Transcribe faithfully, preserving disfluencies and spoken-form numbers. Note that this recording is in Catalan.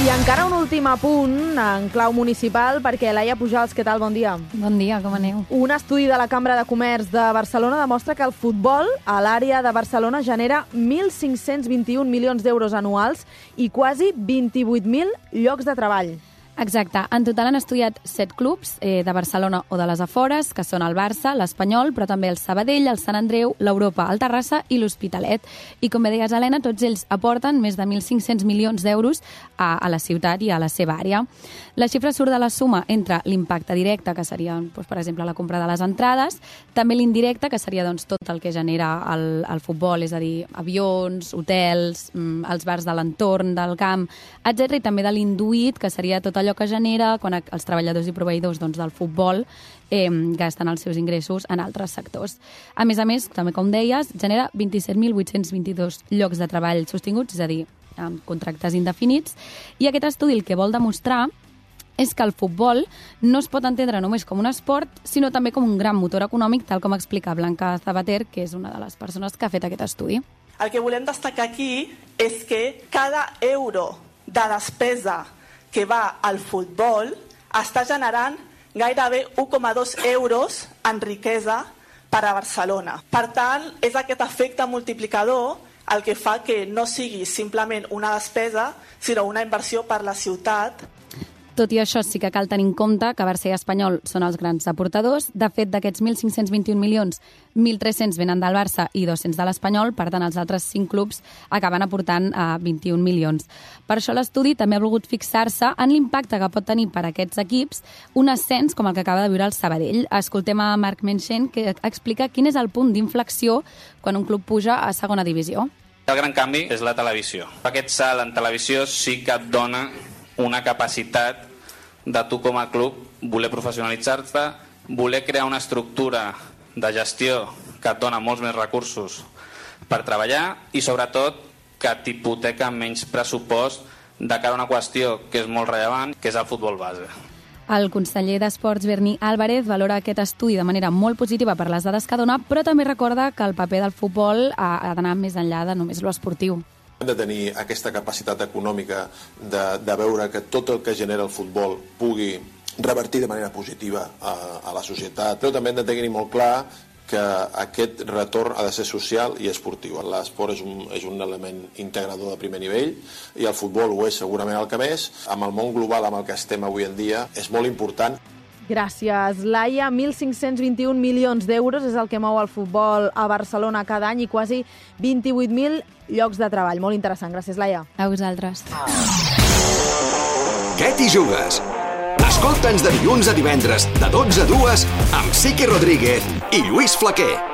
I encara un últim apunt en clau municipal, perquè Laia Pujals, què tal? Bon dia. Bon dia, com aneu? Un estudi de la Cambra de Comerç de Barcelona demostra que el futbol a l'àrea de Barcelona genera mil cinc-cents vint-i-un milions d'euros anuals i quasi vint-i-vuit mil llocs de treball. Exacte. En total han estudiat set clubs eh, de Barcelona o de les afores, que són el Barça, l'Espanyol, però també el Sabadell, el Sant Andreu, l'Europa, el Terrassa i l'Hospitalet. I com bé deies, Helena, tots ells aporten més de mil cinc-cents milions d'euros a, a la ciutat i a la seva àrea. La xifra surt de la suma entre l'impacte directe, que seria, doncs, per exemple, la compra de les entrades, també l'indirecte, que seria doncs, tot el que genera el, el futbol, és a dir, avions, hotels, els bars de l'entorn, del camp, etcètera, i també de l'induït, que seria tot allò que genera quan els treballadors i proveïdors doncs, del futbol eh, gasten els seus ingressos en altres sectors. A més a més, també com deies, genera vint-i-set mil vuit-cents vint-i-dos llocs de treball sostinguts, és a dir, amb contractes indefinits, i aquest estudi el que vol demostrar és que el futbol no es pot entendre només com un esport, sinó també com un gran motor econòmic, tal com explica Blanca Zabater, que és una de les persones que ha fet aquest estudi. El que volem destacar aquí és que cada euro de despesa que va al futbol està generant gairebé un coma dos euros en riquesa per a Barcelona. Per tant, és aquest efecte multiplicador el que fa que no sigui simplement una despesa, sinó una inversió per la ciutat. Tot i això, sí que cal tenir en compte que Barça i Espanyol són els grans aportadors. De fet, d'aquests mil cinc-cents vint-i-un milions, mil tres-cents venen del Barça i dos-cents de l'Espanyol, per tant, els altres cinc clubs acaben aportant a vint-i-un milions. Per això l'estudi també ha volgut fixar-se en l'impacte que pot tenir per a aquests equips un ascens com el que acaba de viure el Sabadell. Escoltem a Marc Menchen, que explica quin és el punt d'inflexió quan un club puja a segona divisió. El gran canvi és la televisió. Aquest salt en televisió sí que et dona una capacitat de tu com a club voler professionalitzar-te, voler crear una estructura de gestió que et dona molts més recursos per treballar i sobretot que t'hipoteca menys pressupost de cara a una qüestió que és molt rellevant, que és el futbol base. El conseller d'Esports, Berni Álvarez, valora aquest estudi de manera molt positiva per les dades que dona, però també recorda que el paper del futbol ha, ha d'anar més enllà de només l'esportiu. Hem de tenir aquesta capacitat econòmica de, de veure que tot el que genera el futbol pugui revertir de manera positiva a, a la societat. Però també hem de tenir molt clar que aquest retorn ha de ser social i esportiu. L'esport és un, és un element integrador de primer nivell i el futbol ho és segurament el que més. Amb el món global amb el que estem avui en dia és molt important. Gràcies, Laia. mil cinc-cents vint-i-un milions d'euros és el que mou el futbol a Barcelona cada any i quasi vint-i-vuit mil llocs de treball. Molt interessant. Gràcies, Laia. A vosaltres. Què t'hi jugues? Escolta'ns de dilluns a divendres, de dotze a dues, amb Sique Rodríguez i Lluís Flaquer.